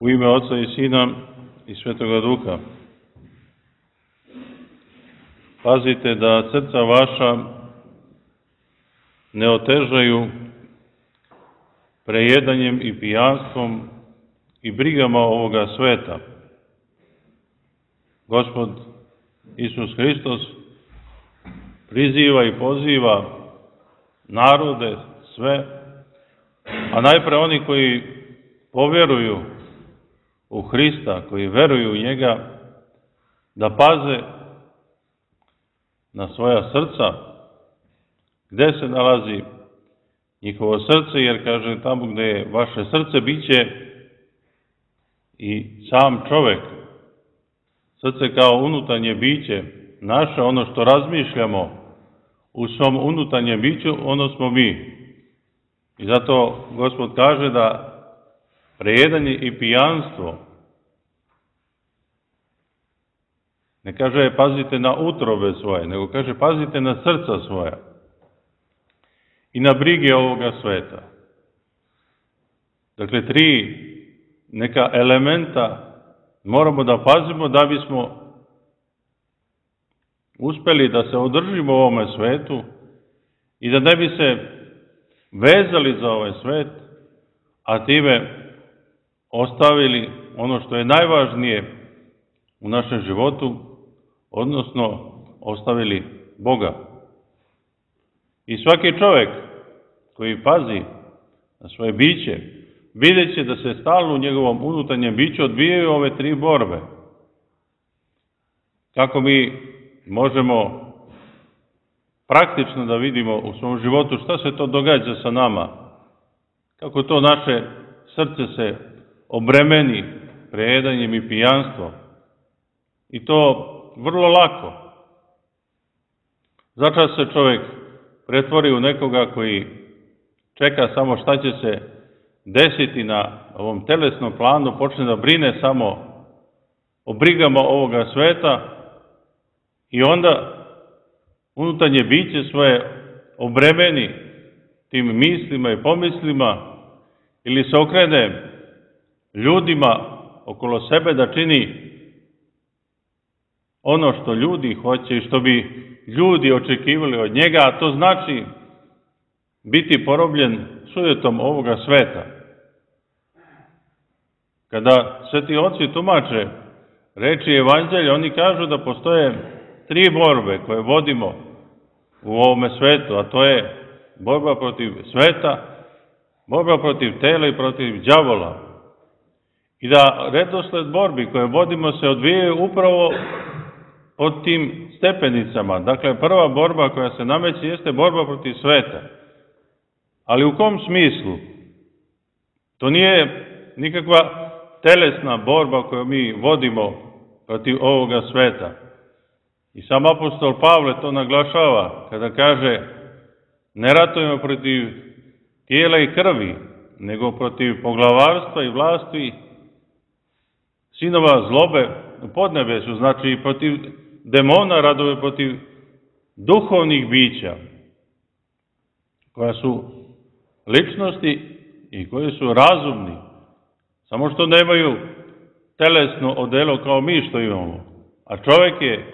U ime Oca i Sina i Svetoga Duha. Pazite da srca vaša ne otežaju prejedanjem i pijanstvom i brigama ovoga sveta. Gospod Isus Hristos priziva i poziva narode sve, a najpre oni koji povjeruju u Hrista, koji veruju u njega, da paze na svoja srca, gde se nalazi njihovo srce, jer kaže tamo gde je vaše srce, bit će i sam čovek. Srce kao unutarnje biće naše, ono što razmišljamo u svom unutarnjem biću, ono smo mi. I zato Gospod kaže da prejedanje i pijanstvo, ne kaže pazite na utrobe svoje, nego kaže pazite na srca svoja i na brige ovoga sveta. Dakle, tri neka elementa moramo da pazimo da bismo uspeli da se održimo u ovome svetu i da ne bi se vezali za ovaj svet, a time ostavili ono što je najvažnije u našem životu, odnosno ostavili Boga. I svaki čovek koji pazi na svoje biće, vidjet će da se stalno u njegovom unutarnjem biću odvijaju ove tri borbe. Kako mi možemo praktično da vidimo u svom životu šta se to događa sa nama, kako to naše srce se obremeni prejedanjem i pijanstvom. I to vrlo lako. Začas se čovjek pretvori u nekoga koji čeka samo šta će se desiti na ovom telesnom planu, počne da brine samo o brigama ovoga sveta i onda unutarnje biće svoje obremeni tim mislima i pomislima ili se okrene ljudima okolo sebe da čini ono što ljudi hoće i što bi ljudi očekivali od njega, a to znači biti porobljen sujetom ovoga sveta. Kada sveti oci tumače reči Evanđelja, oni kažu da postoje tri borbe koje vodimo u ovome svetu, a to je borba protiv sveta, borba protiv tela i protiv đavola. I da redosled borbi koje vodimo se odvijaju upravo pod tim stepenicama. Dakle, prva borba koja se nameće jeste borba protiv sveta. Ali u kom smislu? To nije nikakva telesna borba koju mi vodimo protiv ovoga sveta. I sam apostol Pavle to naglašava kada kaže ne ratujemo protiv tijela i krvi, nego protiv poglavarstva i vlasti, sinova zlobe u podnebesu, znači i protiv demona, radove protiv duhovnih bića, koja su ličnosti i koji su razumni, samo što nemaju telesno odelo kao mi što imamo. A čovjek je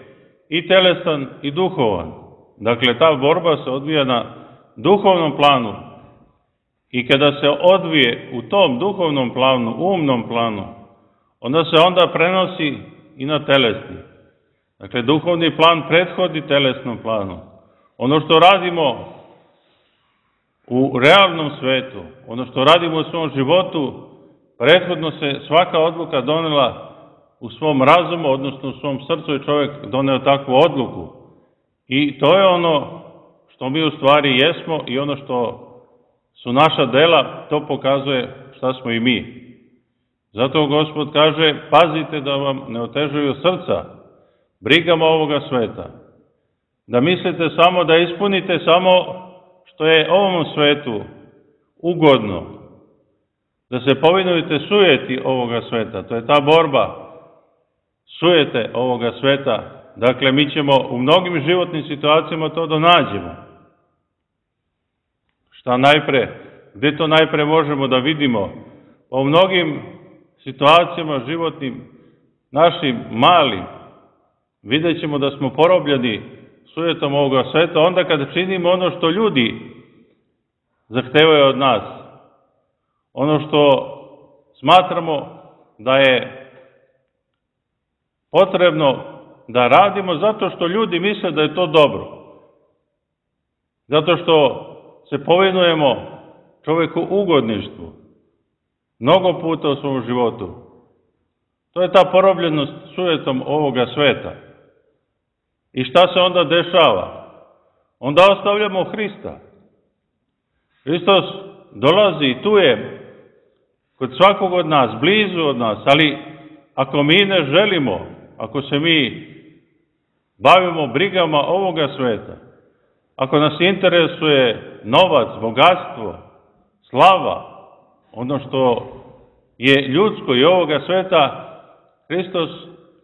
i telesan i duhovan. Dakle, ta borba se odvija na duhovnom planu i kada se odvije u tom duhovnom planu, umnom planu, onda se onda prenosi i na telesni. Dakle, duhovni plan prethodi telesnom planu. Ono što radimo u realnom svetu, ono što radimo u svom životu, prethodno se svaka odluka donela u svom razumu, odnosno u svom srcu i čovjek doneo takvu odluku. I to je ono što mi u stvari jesmo i ono što su naša dela, to pokazuje šta smo i mi. Zato Gospod kaže, pazite da vam ne otežuju srca brigama ovoga sveta. Da mislite samo da ispunite samo što je ovom svetu ugodno. Da se povinujete sujeti ovoga sveta. To je ta borba sujete ovoga sveta. Dakle, mi ćemo u mnogim životnim situacijama to donađemo. Šta najpre, gde to najpre možemo da vidimo? U mnogim situacijama životnim, našim malim, vidjet ćemo da smo porobljeni sujetom ovoga sveta, onda kada činimo ono što ljudi zahtevaju od nas, ono što smatramo da je potrebno da radimo zato što ljudi misle da je to dobro. Zato što se povinujemo čovjeku ugodništvu. Mnogo puta u svom životu. To je ta porobljenost sujetom ovoga sveta. I šta se onda dešava? Onda ostavljamo Hrista. Hristos dolazi i tu je kod svakog od nas, blizu od nas, ali ako mi ne želimo, ako se mi bavimo brigama ovoga sveta, ako nas interesuje novac, bogatstvo, slava, ono što je ljudsko i ovoga sveta, Hristos,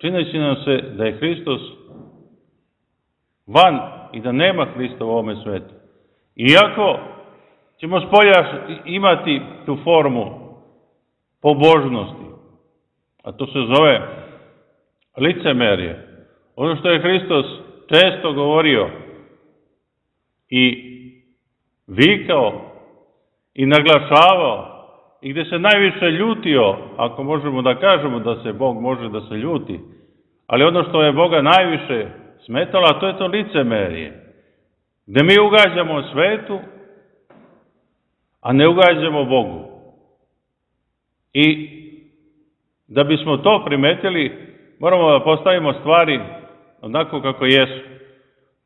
čineći nam se da je Hristos van i da nema Hrista u ovome svetu. Iako ćemo spolja imati tu formu pobožnosti, a to se zove licemerje. Ono što je Hristos često govorio i vikao i naglašavao i gdje se najviše ljutio, ako možemo da kažemo da se Bog može da se ljuti, ali ono što je Boga najviše smetalo, a to je to licemerje, gdje mi ugađamo svetu, a ne ugađamo Bogu. I da bismo to primetili, moramo da postavimo stvari onako kako jesu.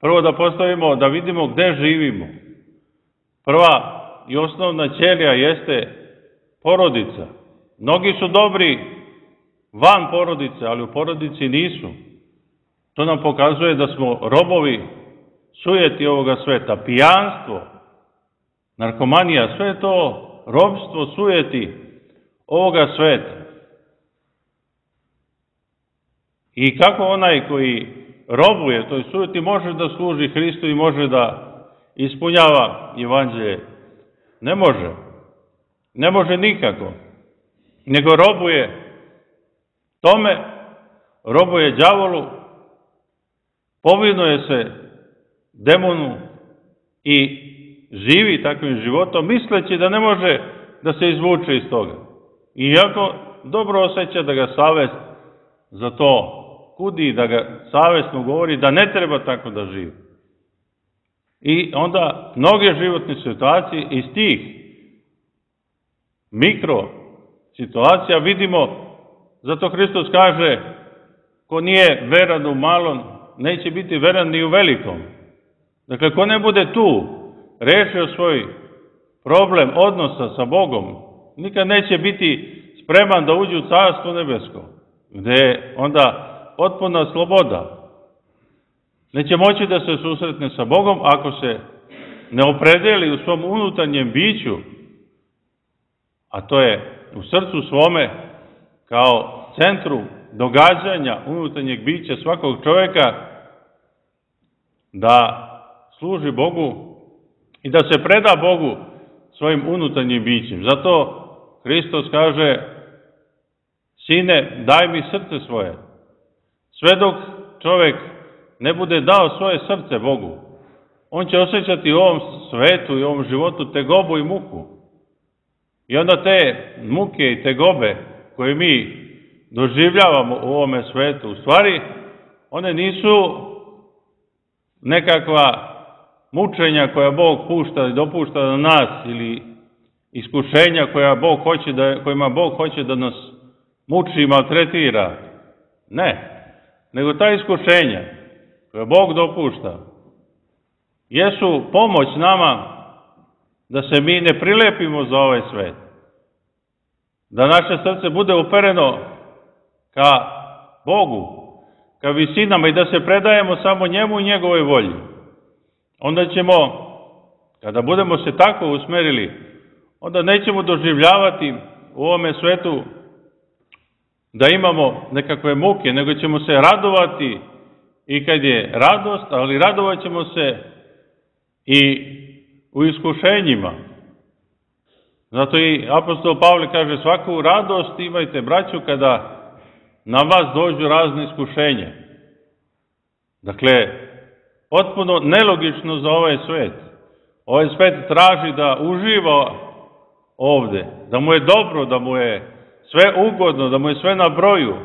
Prvo da postavimo, da vidimo gdje živimo. Prva i osnovna ćelija jeste porodica. Mnogi su dobri van porodice, ali u porodici nisu. To nam pokazuje da smo robovi sujeti ovoga sveta. Pijanstvo, narkomanija, sve to robstvo sujeti ovoga sveta. I kako onaj koji robuje toj sujeti može da služi Hristu i može da ispunjava evanđelje? Ne može. Ne može nikako. Nego robuje tome, robuje đavolu, povinuje se demonu i živi takvim životom, misleći da ne može da se izvuče iz toga. Iako dobro osjeća da ga savest za to kudi, da ga savestno govori da ne treba tako da živi. I onda mnoge životne situacije iz tih mikro situacija vidimo, zato Hristos kaže, ko nije veran u malom, neće biti veran ni u velikom. Dakle, ko ne bude tu rešio svoj problem odnosa sa Bogom, nikad neće biti spreman da uđe u Carstvo nebesko, gde je onda potpuna sloboda. Neće moći da se susretne sa Bogom ako se ne opredeli u svom unutarnjem biću, a to je u srcu svome kao centru događanja unutarnjeg bića svakog čovjeka, da služi Bogu i da se preda Bogu svojim unutarnjim bićem. Zato Hristos kaže, sine, daj mi srce svoje. Sve dok čovjek ne bude dao svoje srce Bogu, on će osjećati u ovom svetu i u ovom životu tegobu i muku. I onda te muke i tegobe koje mi doživljavamo u ovome svetu, u stvari, one nisu nekakva mučenja koja Bog pušta i dopušta na nas ili iskušenja kojima Bog hoće da nas muči i maltretira. Ne. Nego ta iskušenja koje Bog dopušta jesu pomoć nama da se mi ne prilepimo za ovaj svet. Da naše srce bude upereno ka Bogu, ka visinama i da se predajemo samo njemu i njegovoj volji. Onda ćemo, kada budemo se tako usmerili, onda nećemo doživljavati u ovome svetu da imamo nekakve muke, nego ćemo se radovati i kad je radost, ali radovat ćemo se i u iskušenjima. Zato i apostol Pavle kaže, svaku radost imajte, braćo, kada na vas dođu razne iskušenje. Dakle, potpuno nelogično za ovaj svet. Ovaj svet traži da uživa ovde, da mu je dobro, da mu je sve ugodno, da mu je sve na broju,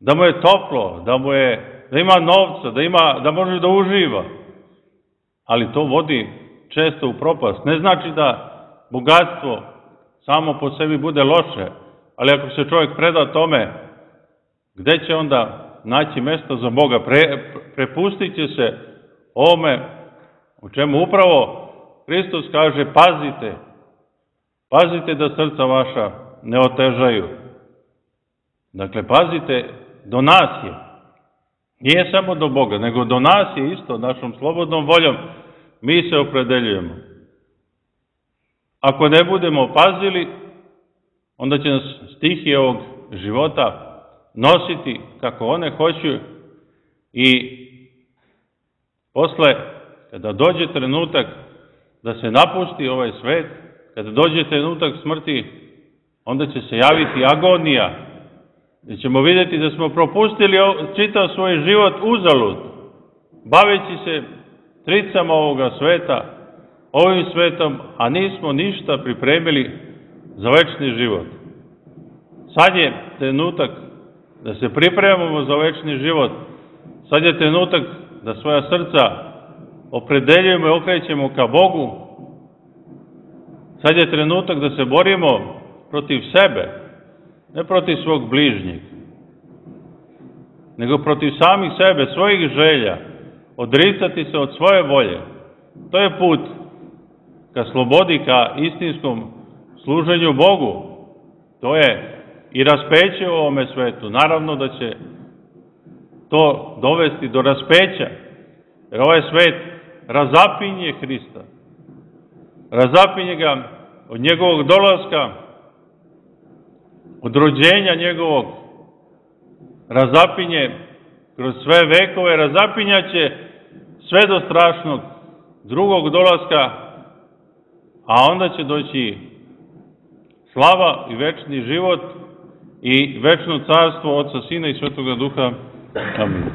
da mu je toplo, da ima novca, da može da uživa. Ali to vodi često u propast. Ne znači da bogatstvo samo po sebi bude loše, ali ako se čovjek preda tome, gde će onda naći mesto za Boga? Prepustit će se ovome u čemu upravo Hristos kaže, pazite da srca vaša ne otežaju. Dakle, pazite, do nas je. Nije samo do Boga, nego do nas je isto, našom slobodnom voljom. Mi se opredeljujemo. Ako ne budemo pazili, onda će nas stihije ovog života nositi kako one hoću i posle, kada dođe trenutak da se napusti ovaj svet, kada dođe trenutak smrti, onda će se javiti agonija, gdje ćemo vidjeti da smo propustili čitav svoj život uzalud, baveći se tricama ovoga sveta, ovim svetom, a nismo ništa pripremili za večni život. Sad je trenutak da se pripremamo za večni život. Sad je trenutak da svoja srca opredeljujemo i okrećemo ka Bogu. Sad je trenutak da se borimo protiv sebe, ne protiv svog bližnjeg, nego protiv samih sebe, svojih želja, odricati se od svoje volje. To je put ka slobodi, ka istinskom služenju Bogu. To je i raspeće u ovome svetu. Naravno da će to dovesti do raspeća, jer ovaj svet razapinje Hrista. Razapinje ga od njegovog dolaska, od rođenja njegovog, razapinje kroz sve vekove, razapinjaće sve do strašnog drugog dolaska, a onda će doći slava i večni život i večno carstvo Otca, Sina i Svetoga Duha. Amin.